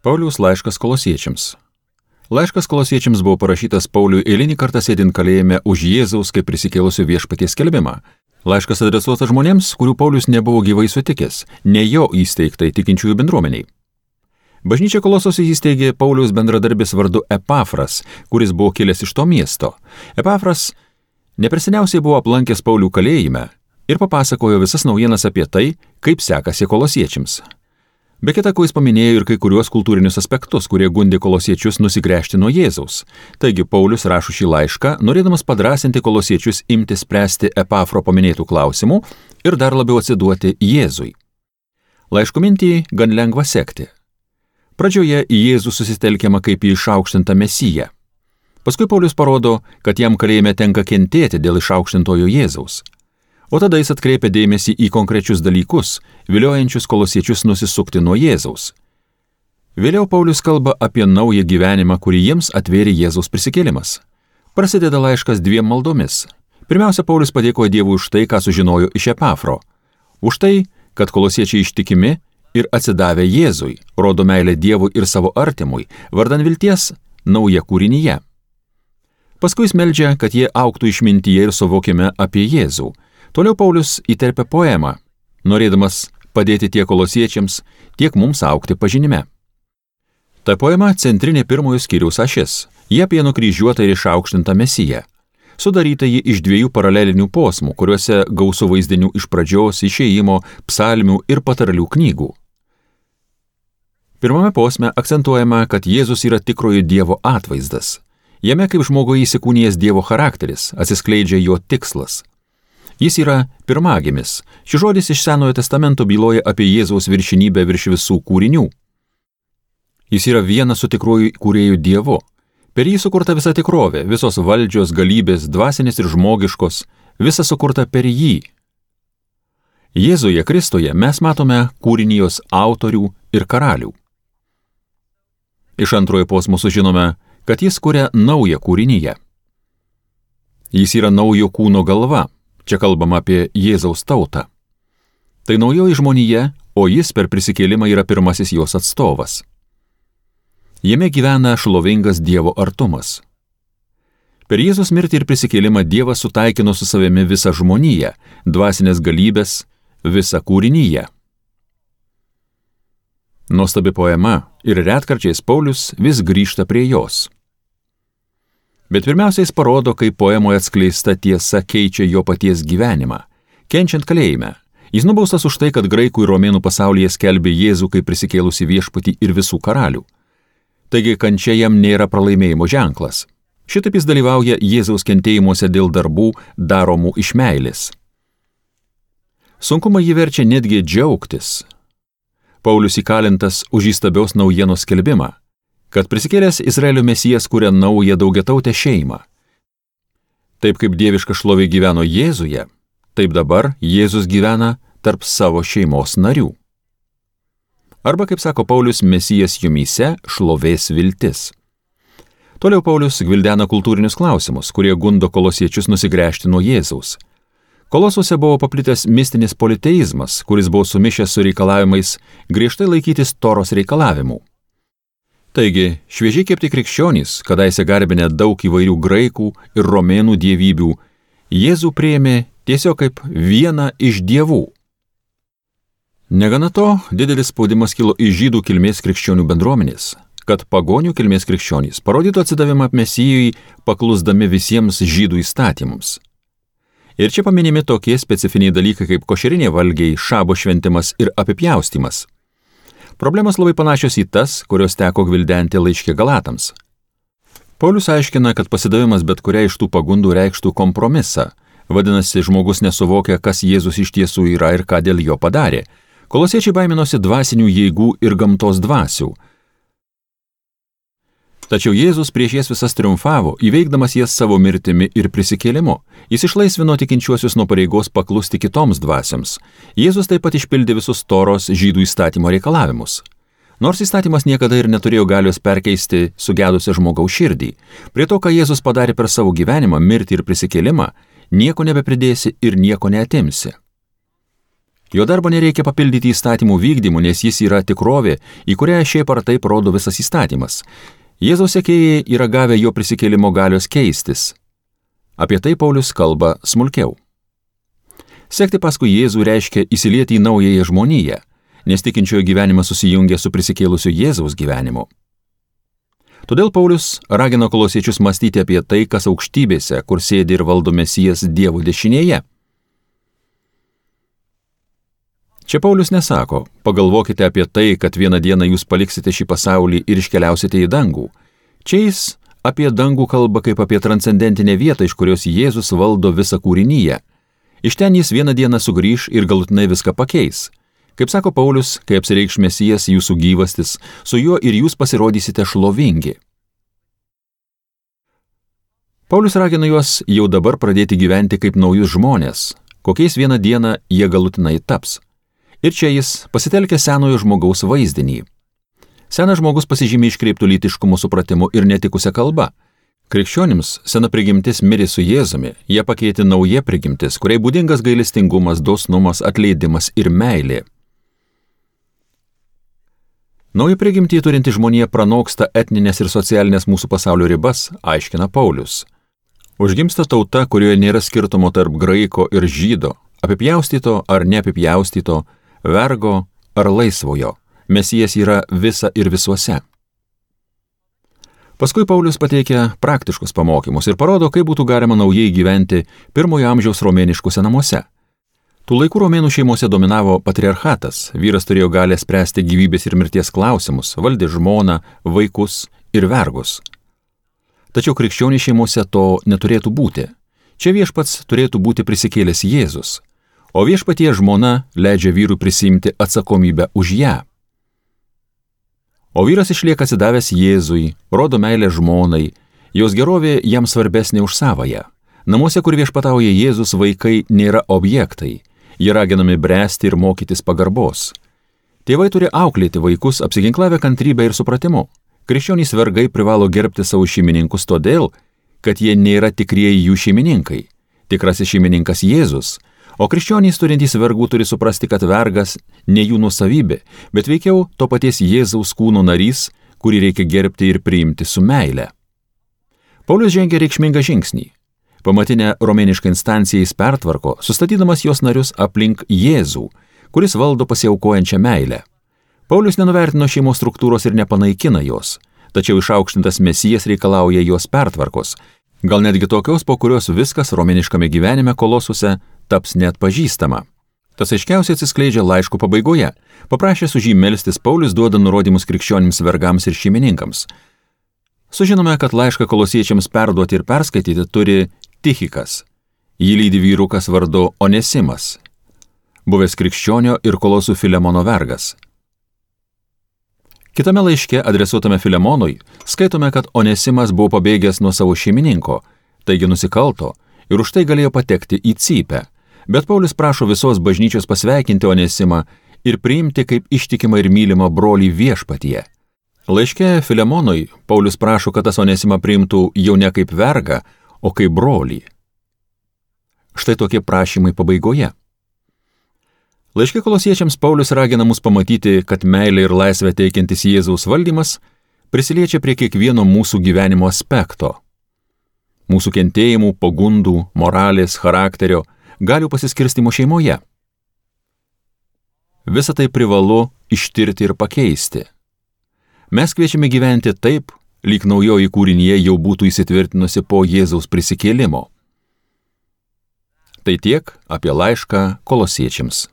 Pauliaus laiškas kolosiečiams. Laiškas kolosiečiams buvo parašytas Pauliui eilinį kartą sėdint kalėjime už Jėzaus kaip prisikėlusio viešpaties skelbimą. Laiškas adresuotas žmonėms, kurių Paulius nebuvo gyvai sutikęs, ne jo įsteigtai tikinčiųjų bendruomeniai. Bažnyčia Kolosose įsteigė Pauliaus bendradarbis vardu Epafras, kuris buvo kilęs iš to miesto. Epafras neperseniausiai buvo aplankęs Paulių kalėjime ir papasakojo visas naujienas apie tai, kaip sekasi kolosiečiams. Be kita ko jis paminėjo ir kai kuriuos kultūrinius aspektus, kurie gundė kolosiečius nusigręžti nuo Jėzaus. Taigi Paulius rašo šį laišką, norėdamas padrąsinti kolosiečius imti spręsti Epafro paminėtų klausimų ir dar labiau atsiduoti Jėzui. Laiško mintį gan lengva sekti. Pradžioje į Jėzų susitelkiama kaip į išaukštintą Mesiją. Paskui Paulius parodo, kad jam kalėjime tenka kentėti dėl išaukštintojo Jėzaus. O tada jis atkreipia dėmesį į konkrečius dalykus, viliojančius kolosiečius nusisukti nuo Jėzaus. Vėliau Paulius kalba apie naują gyvenimą, kurį jiems atvėrė Jėzaus prisikėlimas. Prasideda laiškas 2 maldomis. Pirmiausia, Paulius padėkoja Dievui už tai, ką sužinojo iš Epafro. Už tai, kad kolosiečiai ištikimi ir atsidavę Jėzui, rodo meilę Dievui ir savo artimui, vardan vilties nauja kūrinyje. Paskui jis meldžia, kad jie augtų išmintyje ir suvokime apie Jėzų. Toliau Paulius įterpia poemą, norėdamas padėti tiek kolosiečiams, tiek mums augti pažinime. Ta poema centrinė pirmojo skyriaus ašis. Jie apie nukryžiuotą ir išaukštintą Mesiją. Sudaryta ji iš 2 paralelinių posmų, kuriuose gausu vaizdinių iš pradžios, išėjimo, psalmių ir patarlių knygų. Pirmame posme akcentuojama, kad Jėzus yra tikrojo Dievo atvaizdas. Jame kaip žmogui įsikūnijęs Dievo charakteris, atsiskleidžia jo tikslas. Jis yra pirmagimis. Šis žodis iš Senojo testamento byloja apie Jėzaus viršinybę virš visų kūrinių. Jis yra vienas su tikruoju kūrėju Dievu. Per jį sukurta visa tikrovė, visos valdžios, galybės, dvasinės ir žmogiškos, visa sukurta per jį. Jėzuje Kristuje mes matome kūrinijos autorių ir karalių. Iš antrojo posmo sužinome, kad jis kuria naują kūrinyje. Jis yra naujo kūno galva. Čia kalbama apie Jėzaus tautą. Tai naujoji žmonija, o jis per prisikėlimą yra pirmasis jos atstovas. Jame gyvena šlovingas Dievo artumas. Per Jėzus mirtį ir prisikėlimą Dievas sutaikino su savimi visą žmoniją, dvasinės galybės, visą kūrinyje. Nuostabi poema ir retkarčiais Paulius vis grįžta prie jos. Bet pirmiausia, jis parodo, kaip poemoje atskleista tiesa keičia jo paties gyvenimą. Kenčiant kalėjime, jis nubaustas už tai, kad graikų ir romėnų pasaulyje skelbė Jėzų kaip prisikėlusi viešpatį ir visų karalių. Taigi kančia jam nėra pralaimėjimo ženklas. Šitaip jis dalyvauja Jėzaus kentėjimuose dėl darbų daromų iš meilės. Sunkumą jį verčia netgi džiaugtis. Paulius įkalintas už įstabios naujienos skelbimą, kad prisikėlęs Izraelio Mesijas kuria naują daugiatautę šeimą. Taip kaip dieviška šlovė gyveno Jėzuje, taip dabar Jėzus gyvena tarp savo šeimos narių. Arba, kaip sako Paulius, Mesijas jumyse šlovės viltis. Toliau Paulius gvildena kultūrinius klausimus, kurie gundo kolosiečius nusigręžti nuo Jėzaus. Kolosuose buvo paplitęs mistinis politeizmas, kuris buvo sumišęs su reikalavimais griežtai laikytis Toros reikalavimų. Taigi, šviežiai kepti krikščionys, kadaise garbinę daug įvairių graikų ir romėnų dievybių, Jėzų priėmė tiesiog kaip vieną iš dievų. Negana to, didelis spaudimas kilo iš žydų kilmės krikščionių bendruomenės, kad pagonių kilmės krikščionys parodytų atsidavimą Mesijui, paklusdami visiems žydų įstatymams. Ir čia paminimi tokie specifiniai dalykai kaip košerinė valgiai, šabo šventimas ir apipjaustymas. Problemos labai panašios į tas, kurios teko gvildenti laiške Galatams. Paulius aiškina, kad pasidavimas bet kuria iš tų pagundų reikštų kompromisą. Vadinasi, žmogus nesuvokia, kas Jėzus iš tiesų yra ir ką dėl jo padarė. Kolosiečiai baiminosi dvasinių jėgų ir gamtos dvasių. Tačiau Jėzus prieš jas visas triumfavo, įveikdamas jas savo mirtimi ir prisikėlimu. Jis išlaisvino tikinčiuosius nuo pareigos paklusti kitoms dvasioms. Jėzus taip pat išpildė visus Toros žydų įstatymo reikalavimus. Nors įstatymas niekada ir neturėjo galios perkeisti sugedusią žmogaus širdį, prie to, ką Jėzus padarė per savo gyvenimą, mirtį ir prisikėlimą, nieko nebepridėsi ir nieko neatimsi. Jo darbo nereikia papildyti įstatymų vykdymu, nes jis yra tikrovė, į kurią šiaip ar taip rodo visas įstatymas. Jėzaus sekėjai yra gavę jo prisikėlimo galios keistis. Apie tai Paulius kalba smulkiau. Sekti paskui Jėzų reiškia įsilieti į naująją žmoniją, nes tikinčiojo gyvenimas susijungia su prisikėlusiu Jėzaus gyvenimu. Todėl Paulius ragino kolosiečius mąstyti apie tai, kas aukštybėse, kur sėdi ir valdo Mesijas Dievo dešinėje. Čia Paulius nesako, pagalvokite apie tai, kad vieną dieną jūs paliksite šį pasaulį ir iškeliausite į dangų. Čia jis apie dangų kalba kaip apie transcendentinę vietą, iš kurios Jėzus valdo visą kūrinyje. Iš ten jis vieną dieną sugrįš ir galutinai viską pakeis. Kaip sako Paulius, kai apsireikš Mesijas jūsų gyvastis, su juo ir jūs pasirodysite šlovingi. Paulius ragina juos jau dabar pradėti gyventi kaip naujus žmonės, kokiais vieną dieną jie galutinai taps. Ir čia jis pasitelkia senojo žmogaus vaizdinį. Senas žmogus pasižymė iškreiptų lytiškumo supratimu ir netikusią kalbą. Krikščionims sena prigimtis mirė su Jėzumi, jie pakeitė nauja prigimtis, kuriai būdingas gailestingumas, dosnumas, atleidimas ir meilė. Nauja prigimtį turinti žmonija pranoksta etninės ir socialinės mūsų pasaulio ribas, aiškina Paulius. Užgimsta tauta, kurioje nėra skirtumo tarp graiko ir žydo, apipjaustyto ar neapipjaustyto, vergo ar laisvojo. Mesijas yra visa ir visuose. Paskui Paulius pateikia praktiškus pamokymus ir parodo, kaip būtų galima naujai gyventi pirmojo amžiaus romėniškuose namuose. Tų laikų romėnų šeimose dominavo patriarchatas, vyras turėjo galę spręsti gyvybės ir mirties klausimus, valdė žmoną, vaikus ir vergus. Tačiau krikščionių šeimose to neturėtų būti. Čia viešpats turėtų būti prisikėlęs Jėzus, o viešpatie žmona leidžia vyrui prisiimti atsakomybę už ją. O vyras išlieka atsidavęs Jėzui, rodo meilę žmonai, jos gerovė jam svarbesnė už savąją. Namuose, kur viešpatauja Jėzus, vaikai nėra objektai. Jie raginami bręsti ir mokytis pagarbos. Tėvai turi auklėti vaikus, apsiginklavę kantrybę ir supratimu. Krikščionys vergai privalo gerbti savo šeimininkus todėl, kad jie nėra tikrieji jų šeimininkai. Tikrasis šeimininkas Jėzus, o krikščionys turintys vergų turi suprasti, kad vergas ne jų nuosavybė, bet veikiau to paties Jėzaus kūno narys, kurį reikia gerbti ir priimti su meile. Paulius žengia reikšmingą žingsnį. Pamatinę romėnišką instanciją jis pertvarko, sustatydamas jos narius aplink Jėzų, kuris valdo pasiaukojančią meilę. Paulius nenuvertino šeimos struktūros ir nepanaikina jos, tačiau išaukštintas Mesijas reikalauja jos pertvarkos, gal netgi tokios, po kurios viskas romėniškame gyvenime kolosuse taps neatpažįstama. Tas aiškiausiai atsiskleidžia laiško pabaigoje. Paprašęs už jį melstis, Paulius duoda nurodymus krikščionims vergams ir šeimininkams. Sužinome, kad laišką kolosiečiams perduoti ir perskaityti turi Tichikas. Jį lydi vyrukas vardu Onesimas, buvęs krikščionio ir kolosų Filemono vergas. Kitame laiške, adresuotame Filemonui, skaitome, kad Onesimas buvo pabėgęs nuo savo šeimininko, taigi nusikalto ir už tai galėjo patekti į cypę. Bet Paulius prašo visos bažnyčios pasveikinti Onesimą ir priimti kaip ištikimą ir mylimą brolį viešpatyje. Laiške Filemonui Paulius prašo, kad tas Onesimą priimtų jau ne kaip vergą, o kaip brolį. Štai tokie prašymai pabaigoje. Laiške kolosiečiams Paulius ragina mus pamatyti, kad meilė ir laisvė teikiantis Jėzaus valdymas prisiliečia prie kiekvieno mūsų gyvenimo aspekto. Mūsų kentėjimų, pagundų, moralės, charakterio, galių pasiskirstimo šeimoje. Visą tai privalu ištirti ir pakeisti. Mes kviečiame gyventi taip, lyg naujoji kūrinyje jau būtų įsitvirtinusi po Jėzaus prisikėlimo. Tai tiek apie laišką kolosiečiams.